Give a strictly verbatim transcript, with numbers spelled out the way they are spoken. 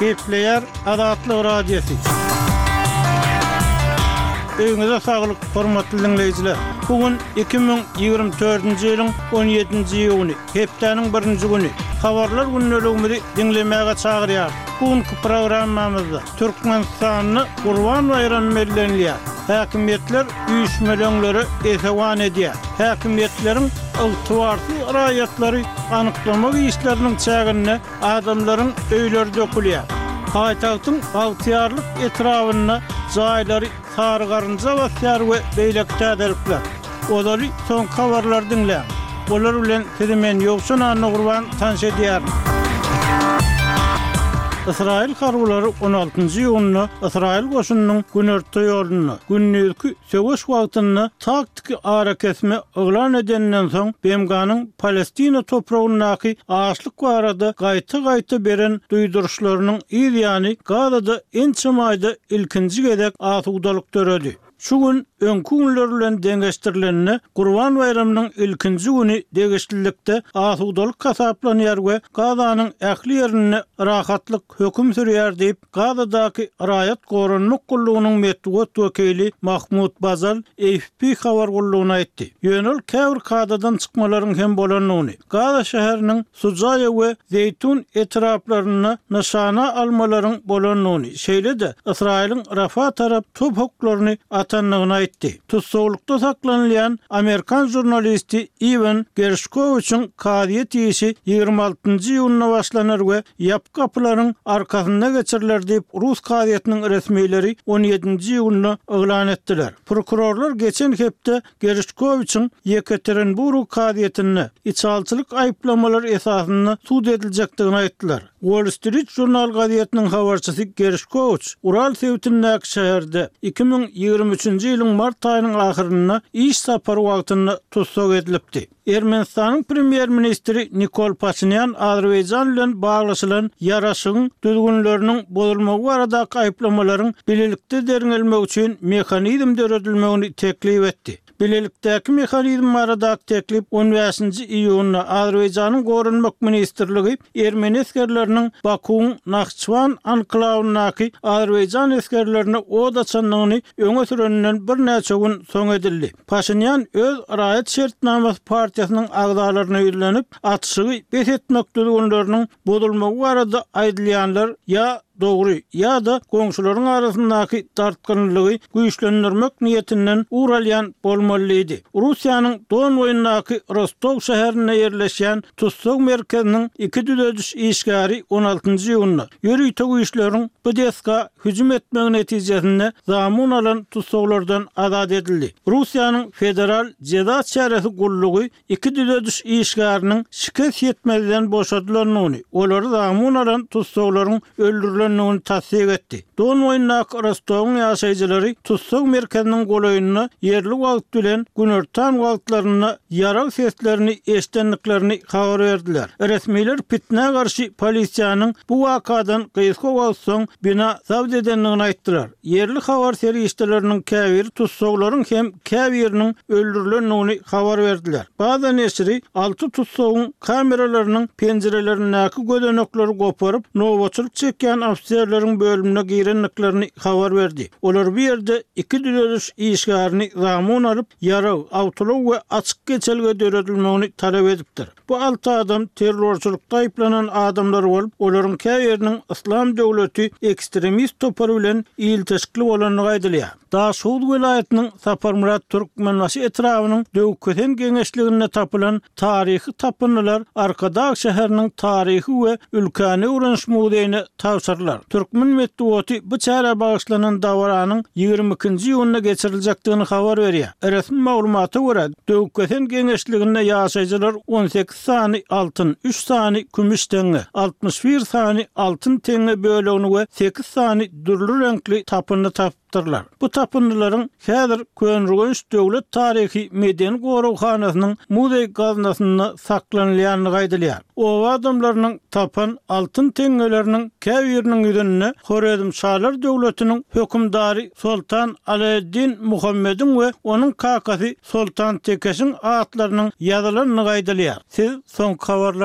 Gepleýär Azatlyk Radiosy. Öýüňize saglyk, hormatly diňleýjiler! Bu gün iki müň ýigrimi dördünji ýylyň on ýedinji iýuny, hepdäniň birinji güni. Habarlar gündeligimizi diňlemäge çagyrýarys. Bu günki programmamyzda Türkmenistanda Gurban baýramy bellenilýär. Häkimiýetler üýşmeleňlere esewan edýär. Häkimiýetleriň ygtybarsyz raýatlary anyklamak işleriniň çäginde adamlaryň öýleri dökülýär. Paýtagtyň Bagtyýarlyk etrabynda jaýlary sary garynja basýar we beýleki täzelikler. Ozaly soňky habarlary diňläň. Olar bilen sizi men Ýowşan Annagurban tanyş edýärin. Ysraýyl harbylary on altynjy iýunda Ysraýyl goşunynyň günorta ýolunda, gündizki söweş wagtynda taktiki arakesme yglan edeninden soň B M G-nyň Palestina topragyndaky açlyk barada gaýta-gaýta beren duýduryşlarynyň yz ýany Gazada ençeme aýda ilkinji gezek asudalyk döredi. Şu gün öňki günler bilen deňeşdirilende Gurban baýramynyň ilkinji güni degişlilikde asudalyk hasaplanýar we Gazanyň ähli ýerinde rahatlyk höküm sürýär diýip, Gazadaky raýat goranmak gullugynyň metbugat wekili Mahmud Bazal A F P habar gullugyna aýtdy. Ýöne ol käbir kadadan çykmalaryň hem bolandygyny, Gaza şäheriniň Sujaýa we Zeýtun etraplarynda nyşana almalaryň bolandygyny, şeýle-de Ysraýylyň Rafa tarap top oklaryny atandygyny aýtdy. Tussaglykda saklanylýan amerikan žurnalisti Iwan Gerşkowiçiň kazyýet işi ýigrimi altynjy iýunda başlanar we ýapyk gapylaryň arkasynda geçiriler diýip, rus kazyýetiniň resmileri on ýedinji iýunda yglan etdiler. Prokurorlar geçen hepde Gerşkowiçiň Ýekaterinburg kazyýetinde içalçylyk aýyplamalary esasynda sud ediljekdigini aýtdylar. Wall Street Journal gazetiniň habarçysy Gerşkowiç Ural sebitindäki şäherde iki müň ýigrimi üçünji ýylyň mart aýynyň ahyrynda iş sapary wagtynda tussag edilipdi. Ermenistanyň premýer-ministri Nikol Paşinýan Azerbaýjan bilen baglaşylan ýaraşygyň düzgünleriniň bozulmagy baradaky aýyplamalaryň bilelikde derňelmegi üçin mehanizm döredilmegini teklip etdi. Bilelikdäki mehanizm baradaky teklip on bäşinji iýunda Azerbaýjanyň Goranmak ministrligi ermeni esgerleriniň Bakuwyň Nahçywan anklawyndaky Azerbaýjan esgerlerine od açandygyny öňe süreninden birnäçe gün soň edildi. Paşinýan öz raýat şertnamasy partiýasynyň agzalaryna ýüzlenip, atyşygy bes etmek düzgünleriniň bozulmagy barada aýdylýanlar ýa dogry ýa-da goňşularyň arasyndaky dartgynlygy güýçlendirmek niýetinden ugur alýan bolmaly diýdi. Russiýanyň Don boýundaky Rostow şäherinde ýerleşýän tussag merkeziniň iki düzediş işgäri on altynjy iýunda ýörite güýçleriň bu desga hüjüm etmegi netijesinde zamun alan tussaglardan azat edildi. Russiýanyň Federal jeza çäresi gullugy iki düzediş işgäriniň şikes ýetmezden boşadylandygyny, olary zamun alan tussaglaryň öldürilendigini tassyk etdi. Don boýundaky Rostowyň ýaşaýjylary tussag merkeziniň golaýynda ýerli wagt bilen günortan wagtlarynda ýarag seslerini eşidendiklerini habar berdiler. Resmiler pitnä garşy polisiýanyň bu wakadan gysga wagt soň bina zabt edendigini aýtdylar. Ýerli habar serişdeleriniň käbiri tussaglaryň hem käbiriniň öldürilendigini habar berdiler. Baza neşiri alty tussagyň kameralarynyň penjirelerindäki gözenekleri goparyp, nobatçylyk çekýän ofiserleriň bölümine girendiklerini habar berdi. Olar bu ýerde iki düzediş işgärini zamun alyp, ýarag, awtoulag we açyk geçelge döredilmegini talap edipdir. Bu alty adam terrorçylykda aýyplanan adamlar bolup, olaryň käbiriniň Yslam döwleti ekstremist topary bilen ilteşikli bolandygy aýdylýar. Daşoguz welaýatynyň Saparmyrat Türkmenbaşy etrabynyň Döwkesen geňeşliginde tapylan taryhy tapyndylar Arkadag şäheriniň taryhy we ülkäni öwreniş muzeýine tabşyrylar. Türkmen metbugaty bu çärä bagyşlanan dabaranyň ýigrimi ikinji iýunda geçiriljekdigini habar berýär. Resmi maglumata görä, Döwkesen geňeşliginde ýaşaýjylar on sekiz sany altyn, üç sany kümüş teňňe, altmyş bir sany altyn teňňe bölegini we sekiz sany dürli reňkli tapyndy tapypdyrlar. Bu tapyndylaryň häzir Köneürgenç döwlet taryhy medeni goraghanasynyň muzeý gaznasynda saklanylýandygy aýdylýar. Oba adamlarynyň tapan altyn teňňeleriniň käbiriniň ýüzünde Horezmşalar döwletiniň hökümdary Soltan Alaeddin Muhammediň we onuň kakasy Soltan Tekeşiň atlarynyň ýazylandygy aýdylýar. Siz soňky habarlary